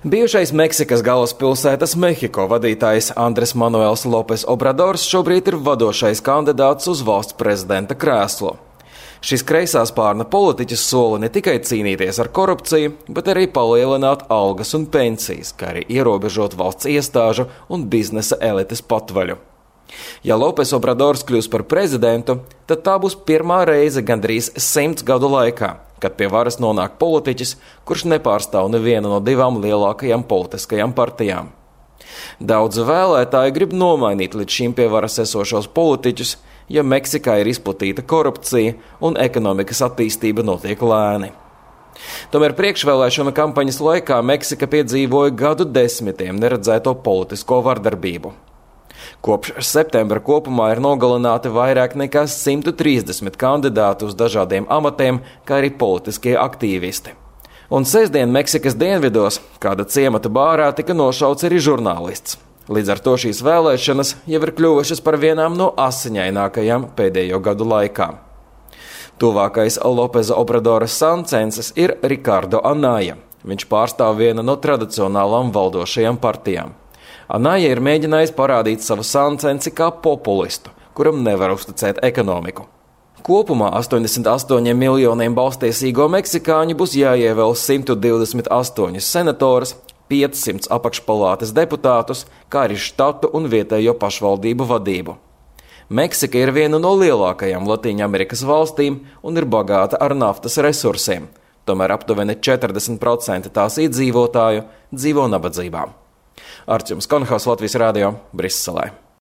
Bijušais Meksikas galvaspilsētas Mehiko vadītājs Andres Manuels Lopes Obradors šobrīd ir vadošais kandidāts uz valsts prezidenta krēslu. Šis kreisā spārna politiķis sola ne tikai cīnīties ar korupciju, bet arī palielināt algas un pensijas, kā arī ierobežot valsts iestāžu un biznesa elites patvaļu. Ja Lopes Obradors kļūs par prezidentu, tad tā būs pirmā reize gandrīz 100 gadu laikā, kad pie varas nonāk politiķis, kurš nepārstāv nevienu no divām lielākajām politiskajām partijām. Daudzi vēlētāji grib nomainīt līdz šim pie varas esošos politiķus, ja Meksikā ir izplatīta korupcija un ekonomikas attīstība notiek lēni. Tomēr priekšvēlēšana kampaņas laikā Meksika piedzīvoja gadu desmitiem neredzēto politisko vardarbību. Kopš septembra kopumā ir nogalināti vairāk nekā 130 kandidāti uz dažādiem amatiem, kā arī politiskie aktīvisti. Un sestdien Meksikas dienvidos kāda ciemata bārā tika nošauts arī žurnālists. Līdz ar to šīs vēlēšanas jau ir kļuvušas par vienām no asiņainākajām pēdējo gadu laikā. Tuvākais Lopesa Obradora sancenses ir Ricardo Anaya. Viņš pārstāv vienu no tradicionālām valdošajām partijām. Anaya ir mēģinājis parādīt savu sancensi kā populistu, kuram nevar uzticēt ekonomiku. Kopumā 88 miljoniem balstiesīgo meksikāņu būs jāievēl 128 senatorus, 500 apakšpalātes deputātus, kā arī štatu un vietējo pašvaldību vadību. Meksika ir viena no lielākajām Latīņamerikas valstīm un ir bagāta ar naftas resursiem. Tomēr aptuveni 40% tās iedzīvotāju dzīvo nabadzībā. Artjums Konhaus, Latvijas Rādio, Briselē.